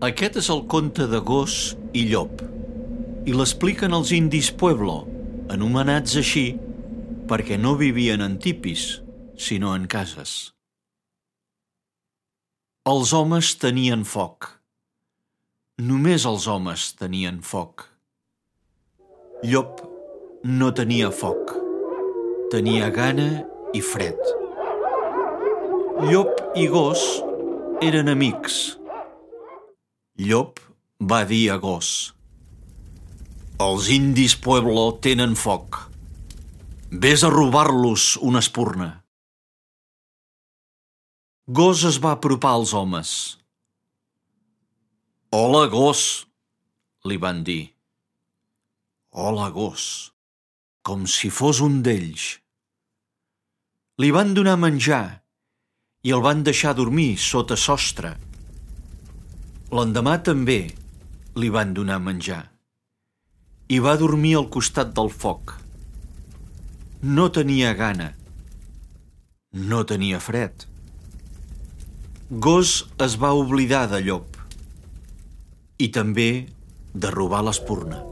Aquest és el conte de gos i llop, i l'expliquen els indis Pueblo, anomenats així perquè no vivien en tipis, sinó en cases. Els homes tenien foc. Només els homes tenien foc. Llop no tenia foc. Tenia gana i fred. Llop i gos eren amics. Llop va dir a gos: «Els indis Pueblo tenen foc. Ves a robar-los una espurna». Gos es va apropar als homes. «Hola, gos», li van dir. «Hola, gos», com si fos un d'ells. Li van donar menjar i el van deixar dormir sota sostre. L'endemà també li van donar menjar i va dormir al costat del foc. No tenia gana. No tenia fred. Gos es va oblidar de llop i també de robar l'espurna.